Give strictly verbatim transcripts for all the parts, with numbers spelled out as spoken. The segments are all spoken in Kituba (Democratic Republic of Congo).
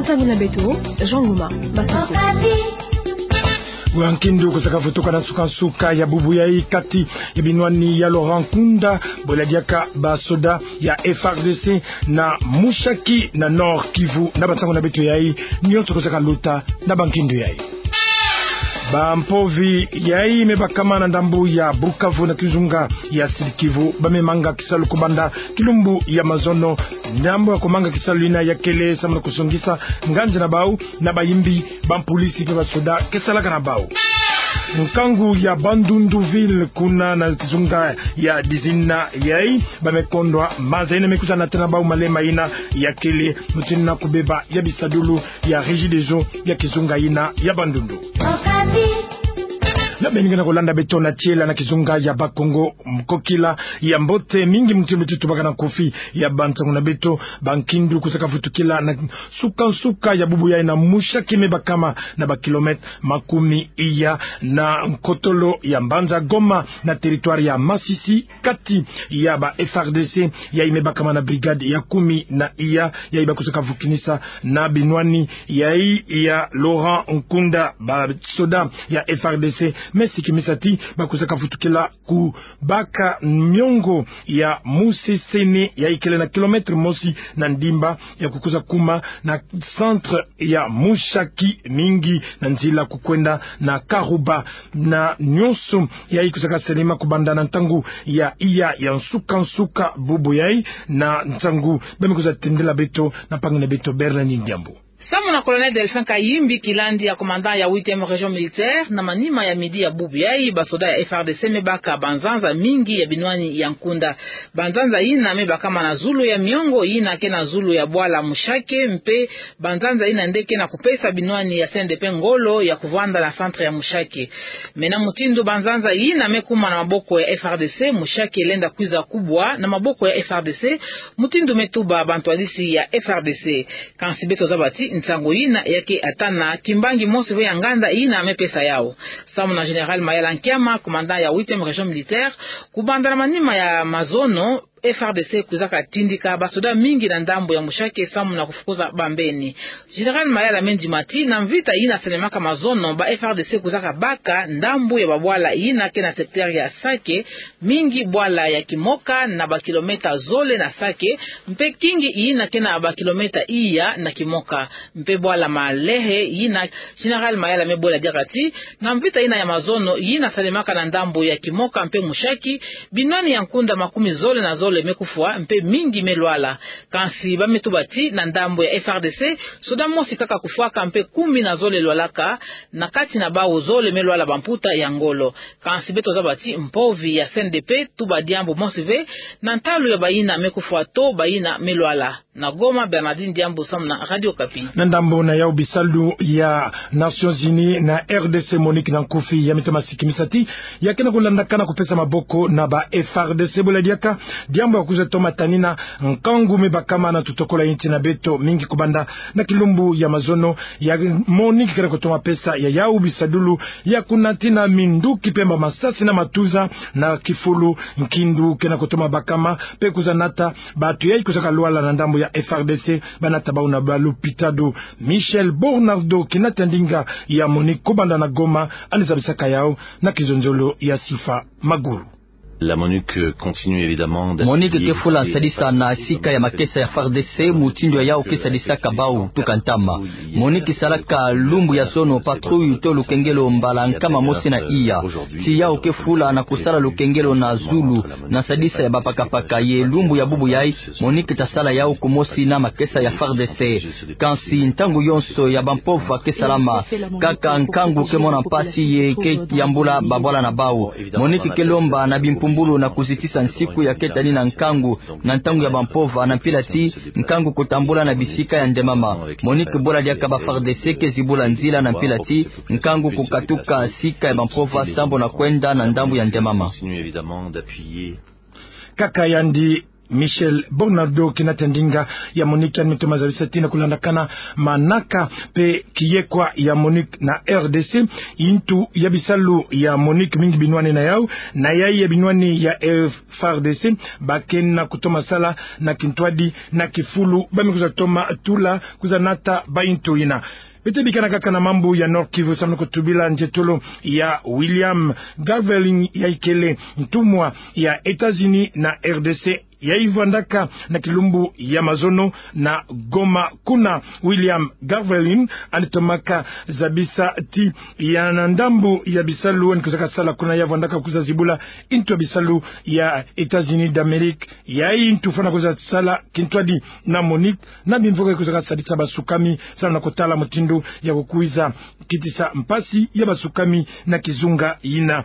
Ntangu na beto, Jean Ngoma, Masasu. Bwa nkindu kusaka vutuka na nsuka-nsuka ya bubu yai kati ya binwani ya Laurent Nkunda, bwela diaka basoda ya F R D C na Mushaki na Nord-Kivu, na bantangu na beto yai, nyonso kusaka luta na bankindu yai. Bampovi yai me bakama na ndambu ya Bukavu na kizunga ya Sud-Kivu, ba me manga kisalu kubanda kilumbu ya mazono, ndambu ya kumanga kisalu yina ya kele samu na kusongisa nganzi na bau na bayimbi, bampulisi pe basoda ke salaka na bau. Nkangu ya Bandundu-Ville kuna na kizunga ya Dizina yai, ba me kondwa maza yina me kwiza nata na bau malema yina ya kele, mutindu na kubeba ya bisadulu ya Regideso ya kizunga yina ya Bandundu. Na beno ke na kulanda beto na tiela na kizunga ya Bakongo, mkokila ya mbote mingi mutindu beto tubaka na nkufi ya bantangu na beto, bankindu kusaka vutukila na nsuka-nsuka ya bubu yai na Mushaki me bakama na ba kilomètre makumi iya na nkotolo ya mbanza Goma na territoire ya Masisi, kati ya ba F R D C yai me bakama na brigade ya kumi na iya, yai ba kusaka vukinisa na binwani yai ya Laurent Nkunda. Basoda ya F R D C me sikimisa ti ba kusaka vutukila kubaka miongo ya Musesene, yai kele na kilomètre mosi na ndimba, ya kukwiza kuma na centre ya Mushaki, mingi na nzila kukwenda na Karuba, na nyonso yai kusaka salama kubanda na ntangu ya iya ya nsuka-nsuka bubu yai, na ntangu ba me kwiza tendela beto na mpangi na beto Bernardine Diambu. Samu na Colonel Delphin Kayimbi Kilandi ya commandant ya huitième région militaire, na manima ya midi ya bubu yai, basoda ya F R D C me baka banzanza mingi ya binwani ya Nkunda. Banzanza yina me bakama na zulu ya miongo yina ke na zulu ya bwala Mushaki, mpe banzanza yina nde ke na kupesa binwani ya C N D P ngolo ya kuvanda na centre ya Mushaki. Mais na mutindu banzanza yina me kuma na maboko ya F R D C, Mushaki lenda kwiza kubwa na maboko ya F R D C, mutindu me tuba bantwadisi ya F R D C. Kansi beto zaba ti nsangu yina ya ke ata na kimbangi mosi ve ya nganda yina me pesa yau. Samu na Général Mayala Nkiama, commandant ya huitième région militaire, kubanda na manima ya mazono, F R D C kwizaka tindika basoda mingi na ndambu ya Mushaki samu na kufukuza bambeni. Général Mayala me ndima ti na mvita yina salemaka mazono, ba F R D C kwizaka baka ndambu ya babwala yina ke na secteur ya Sake, mingi bwala ya Kimoka na ba kilomètre zole na Sake, mpe Kingi yina ke na ba kilomètre iya na Kimoka, mpe bwala Malehe yina. Général Mayala me bwela diaka ti na mvita yina ya mazono yina salemaka na ndambu ya Kimoka mpe Mushaki, binwani ya Nkunda makumi zole na zole me kufwa mpe mingi me lwala. Kansi ba me tuba ti na ndambu ya F R D C, soda mosi kaka kufwaka mpe kumi na zole lwalaka, na kati na bau zole me lwala bamputa ya ngolo. Kansi beto zaba ti mpovi ya C N D P tuba diambu mosi ve na ntalu ya bayina me kufwa to bayina me lwala. Na Goma, Bernardine Diambu samu na Radio Okapi. Na ndambu na yau, bisalu ya Nations Unies na R D C, MONUC na nkufi, ya me toma sikimisa ti ya ke na kulandakana kupesa maboko na ba F R D C, bwela diaka diambu ya kwiza toma tanina nkangu me bakama na tutokola insi na beto, mingi kubanda na kilumbu ya mazono ya MONUC ke na kutoma pesa ya yau bisadulu ya kunatina minduki mpe ba masasi na matuza na kifulu. Nkindu ke na kutoma bakama mpe kwiza nata bato yai kwizaka lwala na ndambu ya F R D C, ba nata bau na ba lupitalu. Michel Bornardo, kinata ndinga ya MONUC kubanda na Goma, ani zabisaka yau na kizonzolo ya Sifa Maguru. La MONUC continue évidemment d'appuyer. MONUC ke fula sadisa na sika ya makesa ya F A R D C, mutindu ya yau ke sadisaka bau tuka ntama. MONUC salaka lumbu ya sono patrouille to lukengelo mbala nkama mosi na iya. Si yau ke fula na kusala lukengelo na zulu, na sadisa ya bapakapaka, ye lumbu ya bubu yai, MONUC tasala yau kumosi na makesa ya F A R D C. Kansi ntangu yonso ya bampova ke salama, kaka nkangu ke mona mpasi ye ke yambula babwala na bau. MONUC ke lomba na bimpumbulu na kuzitisa nsiku ya ke tanina nkangu na ntangu ya bampova, na mpila ti nkangu kutambula na bisika ya ndemama. MONUC bwela diaka ba F A R D C ke zibula nzila na mpila ti nkangu kukatuka sika ya bampova sambu na kwenda na ndambu ya ndemama. Kaka yandi Michel Bornardo, kina tendinga ya MONUC, yandi me toma zabisa ti na kulandakana manaka mpe kiyekwa ya MONUC na R D C, ntu ya bisalu ya MONUC mingi binwani na yau, na yai ya binwani ya F R D C, ba kena kutoma sala na kintwadi na kifulu, ba me kwiza toma tula kwiza nata ba ntu ina. Beto bikana kaka na mambu ya Nord-Kivu, samu na kutubila nzietolo ya William Garvelin, yai kele ntumwa ya États-Unis na R D C, yai vwandaka na kilumbu ya mazono na Goma kuna. William Garvelin yandi tomaka zabisa ti ya na ndambu ya bisalu yandi kwizaka sala kuna, ya vwandaka kwiza zibula ntu ya bisalu ya États-Unis d'Amérique, yai ntu fwana kwiza sala kintwadi na MONUC, na bimvuka kwizaka sadisa basukami, samu na kutala mutindu ya kukwiza kitisa mpasi ya basukami na kizunga ina.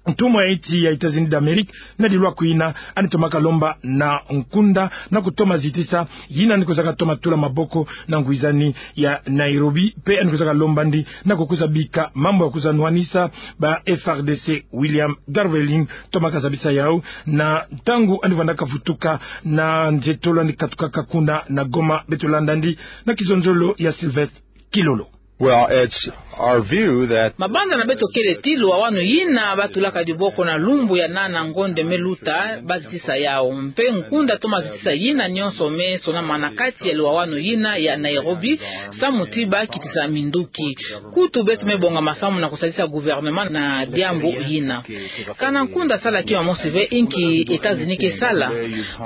Ntumwa ya nti ya États-Unis d'Amérique, na dilwaku ina, yandi tomaka lomba na nkunda na kutoma zitisa yina yandi kwizaka toma tula maboko na ngwizani ya Nairobi, mpe yandi kwizaka lomba yandi na kukwiza bika mambu ya kwiza nwanisa ba F R D C. William Garvelin tomaka zabisa yau na ntangu yandi vwandaka vutuka na nzietolo yandi katukaka kuna na Goma. Beto landa yandi na kizonzolo ya Sylvestre Kilolo. Well, it's our view that mabanza na beto kele ti luwawanu yina ba tulaka diboko na lumbu ya nana ngonde me luta, ba zitisa yau. Mpe nkunda toma zitisa yina nyonso me sonamana kati ya luwawanu yina ya Nairobi, samu ti ba kitisa minduki. Kutu beto me bongama samu na kusadisa gouvernement na diambu yina. Kana nkunda sala kima mosi ve, inki États-Unis ke sala?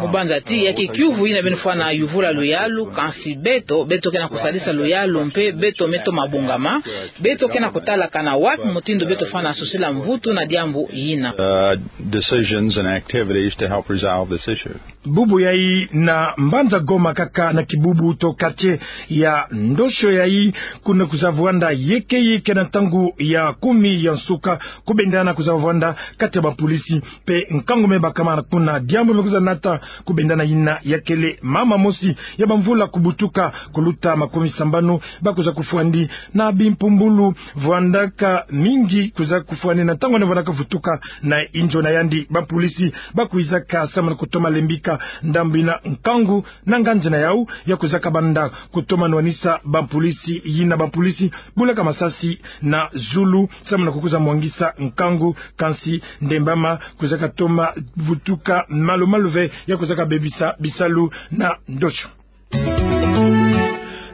Mu banza ti ya ke kiuvu yina beno fwana yuvula luyalu, kansi beto, beto kena kusadisa luyalu mpe beto me toma bongama, beto kena kutala kana wapi mutindu beto fwana sosila mvutu na diambu yina. Uh, decisions and activities to help resolve this issue. Bubu yai na mbanza Goma kaka na kibubu to quartier ya Ndosho yai, kuna kwiza vwanda yeke yeke na ntangu ya kumi ya nsuka, kubendana kwiza vwanda kati ya bapolisi mpe nkangu me bakama kuna. Diambu me kwiza nata kubendana yina ya kele mama mosi ya bamvula kubutuka kuluta makumi sambanu, ba kwiza kufwandi na bimpumbulu, vwandaka mingi kwiza kufwani na ntangu yandi vwandaka vutuka na inzo na yandi. Bapolisi ba kwizaka samu na kutoma lembika ndambu yina nkangu na nganzi na yau ya kwizaka banda kutoma nwanisa bapolisi yina. Bapolisi bulaka masasi na zulu samu na kukwiza mwangisa nkangu, kansi ndembama kwizaka toma vutuka malu-malu ve ya kwizaka bebisa bisalu na Ndosho.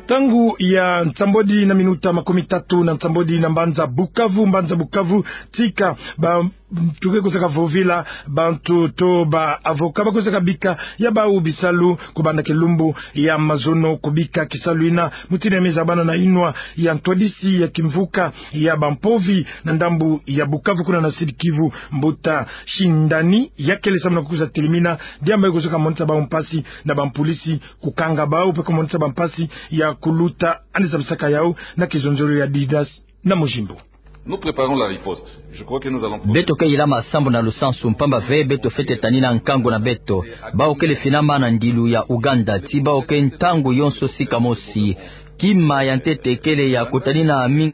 Ntangu ya nsambwadi na minuta makumi tatu na nsambwadi na mbanza Bukavu. Mbanza Bukavu, tika ba, tuke kwizaka vovila bantu to ba avocat ba kwizaka bika ya bau bisalu kubanda kilumbu ya mazono kubika kisalu yina. Mutindu ya me zabana na inwa ya ntwadisi ya kimvuka ya bampovi na ndambu ya Bukavu kuna na Sud-Kivu, mbuta Shindani, ya kele samu na kukwiza telimina diambu yayi kwizaka monisa bau mpasi na bapolisi kukanga bau mpe kumonisa bau mpasi ya kuluta. Yandi zabisaka yau na kizonzolo ya Didas na Mujimbo. Nous préparons la riposte. Je crois que nous allons... Beto ke yila masambu na lusansu, mpamba ve beto fwete tanina nkangu na beto. Bau kele finama na ndilu ya Ouganda, ti bau ke ntangu yonso sika mosi. Kima ya ntete kele ya kutanina mi-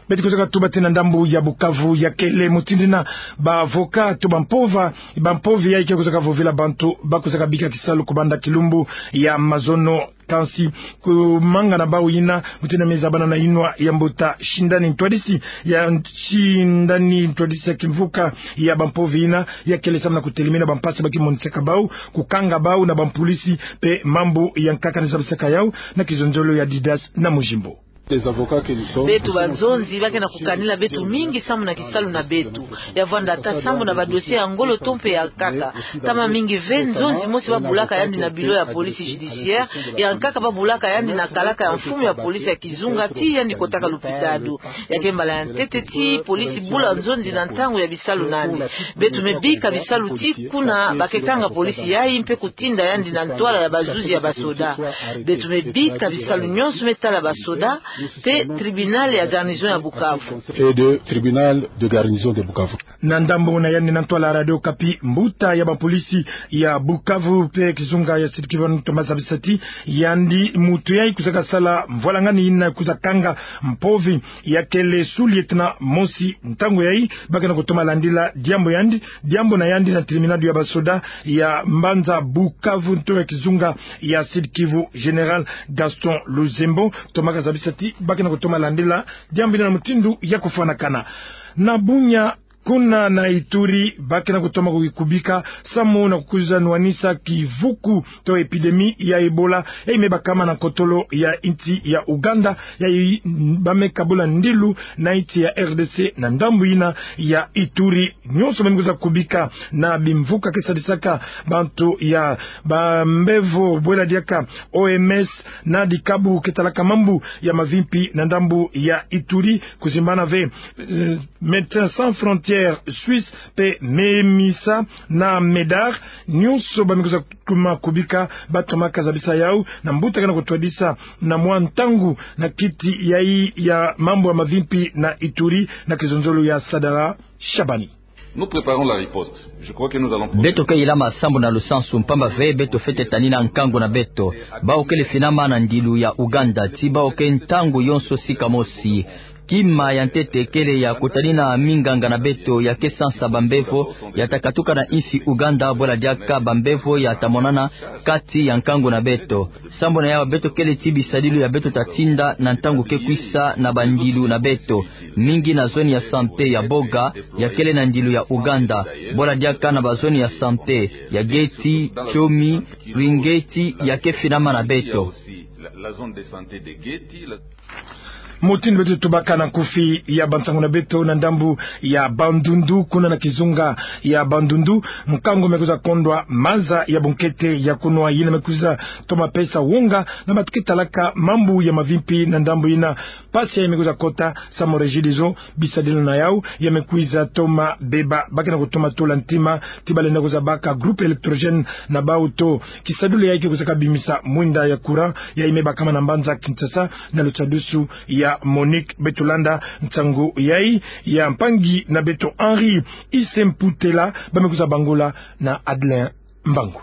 Beto kwizaka tuba ti na ndambu ya Bukavu ya kele mutindu yina ba avocat to bampova, bampovi yayi ke kwizaka vovila bantu ba kwizaka bika kisalu kubanda kilumbu ya mazono. Kansi kumanga na bau yina, mutindu ya me zabana na inwa ya mbuta Shindani, ntwadisi ya Shindani, ntwadisi ya kimvuka ya bampovi yina, ya kele samu na kutelimina bampasi ba ke monisaka bau, kukanga bau na bapolisi mpe mambu yankaka. Yandi zabisaka yau na kizonzolo ya Didas na Mujimbo. Beto banzonzi ba ke na kukanila beto mingi samu na kisalu na beto. Ya vwanda ata sambu na badossier ya ngolo to mpe ya nkaka. Ntama mingi ve nzonzi mosi ba bulaka yandi na bureau ya police judiciaire, ya nkaka ba bulaka yandi na kalaka ya mfumu ya police ya kizunga ti yandi kotaka lopitalo. Ya ke mbala ya ntete ti police bula nzonzi na ntangu ya bisalu na yandi. Beto me bika bisalu ti kuna ba ke kanga police yayi mpe kutinda yandi na ntwala ya bazuzi ya basoda. Beto me bika bisalu nyonso me tala basoda, mpe tribunal ya garnison ya Bukavu. Et de tribunal de garnison de Bukavu. Na ndambo na yandi na ntwala Radio Okapi, mbuta ya bapolisi ya Bukavu mpe kizunga ya Sud-Kivu, Thomas Zabisati, yandi muntu yayi kwizaka sala mvwalangani yina kwiza kanga mpovi ya kele sous-lieutenant mosi ntangu yayi, ba kena kutoma landila diambu yandi, diambu na yandi na tribunal ya basoda ya mbanza Bukavu nto ya kizunga ya Sud-Kivu, Général Gaston Luzembo. Thomas Zabisati, ba kena kutoma landila diambu yina na mutindu ya kufwanakana. Na Bunia, kuna na Ituri, ba kena kutoma ku-, kubika samu na kukwiza nwanisa kivuku to épidémie ya Ebola, yayi me bakama na kotolo ya insi ya Ouganda, yayi ba me kabula ndilu na insi ya R D C na ndambu yina ya Ituri. Nyonso ba me kwiza kubika na bimvuka ke sadisaka bantu ya bambevo, bwela diaka O M S, na dikabu ke talaka mambu ya mavimpi na ndambu ya Ituri, kuzimbana ve, eh, Médecins Sans Frontières Suisse mpe MEMISA na MEDAR, nyonso ba me kwiza toma kubika, ba tomaka zabisa yau na mbuta kena kutwadisa na mwa ntangu na kiti yayi ya mambu ya mavimpi na Ituri, na kizonzolo ya Sadala Shabani. Nous préparons la riposte. Je crois que nous allons... Beto ke yilama sambu na lusansu, mpamba ve beto fwete tanina nkangu na beto. Bawu kele finama na ndilu ya Ouganda, ti bawu ke ntangu yonso sika mosi. Kima ya ntete kele ya kutanina minganga na beto ya ke sansa bambevo ya ta katuka na insi Ouganda, bwela diaka bambevo ya ta monana kati ya nkangu na beto. Sambu na yau beto kele ti bisadilu ya beto ta tinda na ntangu ke kwisa na bandilu na beto, mingi na zone ya santé ya Boga, ya kele na ndilu ya Ouganda, bwela diaka na bazone ya santé ya Geti, Chomi, Ringeti, ya ke finama na beto. La, la zone de santé de Geti, la... Mutindu beto tubaka na nkufi ya bansangu na beto, na ndambu ya Bandundu, kuna na kizunga ya Bandundu, nkangu me kwiza kondwa maza ya bunkete ya kunwa, yina me kwiza toma pesa wonga na bantu ke talaka mambu ya mavimpi na ndambu yina. Mpasi yayi me kwiza kota samu Regideso, bisadilu na yau ya me kwiza toma beba, ba kena kutoma tula ntima ti ba lenda kwiza baka groupe électrogène na bawu to. Kisadilu yayi ke kwizaka bimisa mwinda ya courant, yayi me bakama na mbanza Kinshasa, na lusadusu ya Monique. Beto landa nsangu yayi ya mpangi na beto Henri Isemputela, ba me kwiza bangula na Adelin Mbangu.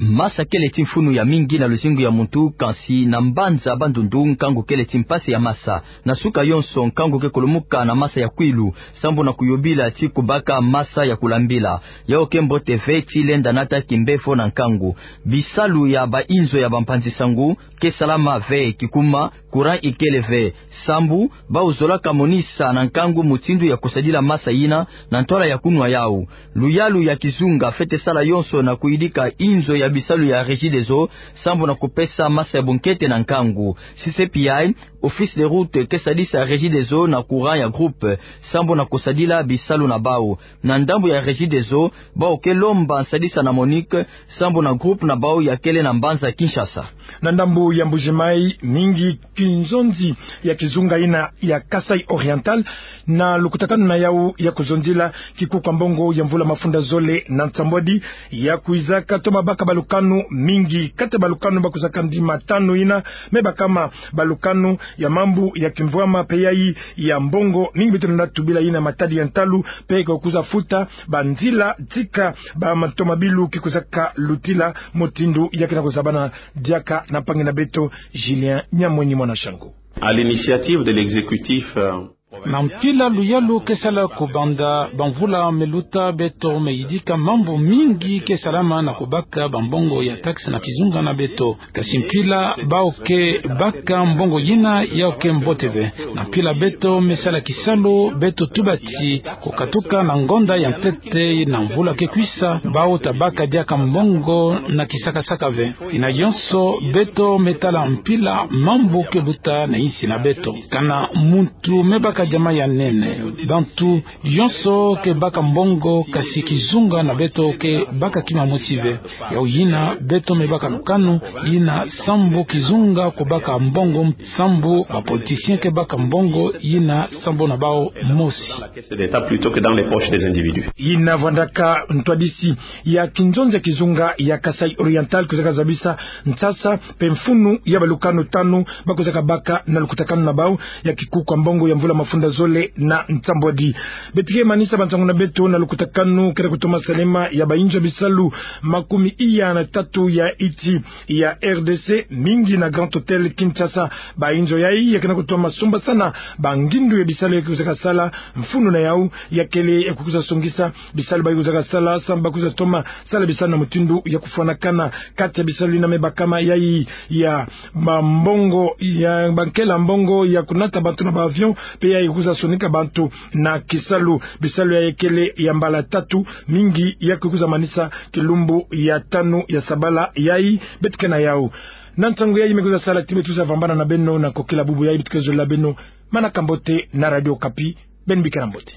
Masa kele ti mfunu ya mingi na luzingu ya muntu, kansi na mbanza Bandundu nkangu kele ti mpasi ya masa. Na suka yonso nkangu ke kulumuka na masa ya kwilu, sambu na kuyobila ti kubaka masa ya kulambila. Yau ke mbote ve ti lenda nata kimbevo na nkangu. Bisalu ya bainzo ya bampanzi-sangu ke salama ve, kikuma, courant ikele ve. Sambu, bawu zolaka monisa na nkangu mutindu ya kusadila masa yina na ntwala ya kunwa yau. Luyalu ya kizunga fwete sala yonso na kuyidika inzo ya bisalu ya Regideso, sambu na kupesa masa ya bunkete na nkangu. C C P I, Office des Routes, ke sadisa Regideso na courant ya groupe, sambu na kusadila bisalu na bawu. Na ndambu ya Regideso, bawu ke lomba nsadisa na Monique, sambu na groupe na bawu ya kele na mbanza Kinshasa. Na ndambu ya Mbuji-Mayi, mingi kinzonzi ya kizunga yina ya Kasaï Oriental, na lukutakanu na yau ya kuzonzila kikuku ya mbongo ya mvula mafunda zole na nsambwadi, ya kwizaka toma baka balukanu mingi. Kati ya balukanu ba kwizaka ndima tanu yina, me bakama balukanu ya mambu ya kimvwama mpe yayi ya mbongo, ningi beto lenda tubila yina matadi ya ntalu, mpe ke kwiza futa banzila tika bamato mabilu ke kwizaka lutila. Mutindu ya kena kuzabana diaka na mpangi na beto Julien Nyamwenyi Mwana Shangu. À l'initiative de l'exécutif, euh, na mpila luyalu ke sala kubanda bamvula me luta, beto me yidika mambu mingi ke salama na kubaka bambongo ya taxe na kizunga na beto. Kasi mpila bawu ke baka mbongo yina, yau ke mbote ve. Na mpila beto me sala kisalu, beto tuba ti kukatuka na ngonda ya ntete na mvula ke kwisa, bawu ta baka diaka mbongo na kisakasaka ve. Yina yonso beto me tala mpila mambu ke luta na insi na beto. Kana muntu me baka Diamant ya nene. Bantu yonso ke baka mbongo, kasi kizunga na beto ke baka kima mosi ve. Yau yina beto me baka lukanu, yina sambu kizunga ko baka mbongo, sambu ba politiciens ke baka mbongo, yina sambu na bau mosi. Caisse d'État plutôt que dans les poches des individus. Yina vwandaka ntwadisi ya kinzonzi ya kizunga ya Kasaï Oriental kwizaka zabisa nsasa mpe mfunu ya balukanu tanu ba kwizaka baka na lukutakanu na bau ya kikuku ya mbongo ya mvula mafunda zole na nsambwadi. Beto ke manisa bansangu na beto na lukutakanu kele kutoma salama ya bainzo ya bisalu makumi iya na tatu ya insi ya R D C, mingi na Grand Hôtel Kinshasa. Bainzo yayi ya ke na kutoma sombasana bangindu ya bisalu ya ke kwizaka sala, mfunu na yau ya kele ya kwiza songisa bisalu bayi kwizaka sala, sambu ba kwiza toma sala bisalu na mutindu ya kufwanakana. Kati ya bisalu yina me bakama yayi ya bambongo, ya bankela mbongo ya kunata bantu na ba avion, mpe yayi kwiza sonika bantu na kisalu. Bisalu yayi kele ya mbala tatu, mingi ya kwiza manisa kilumbu ya tanu ya sabala yayi beto ke na yau. Na nsangu yayi me kwiza sala ti beto kwiza vambana na beno na kokila bubu yayi, beto ke zolila beno manaka mbote na Radio Okapi. Beno bikana mbote.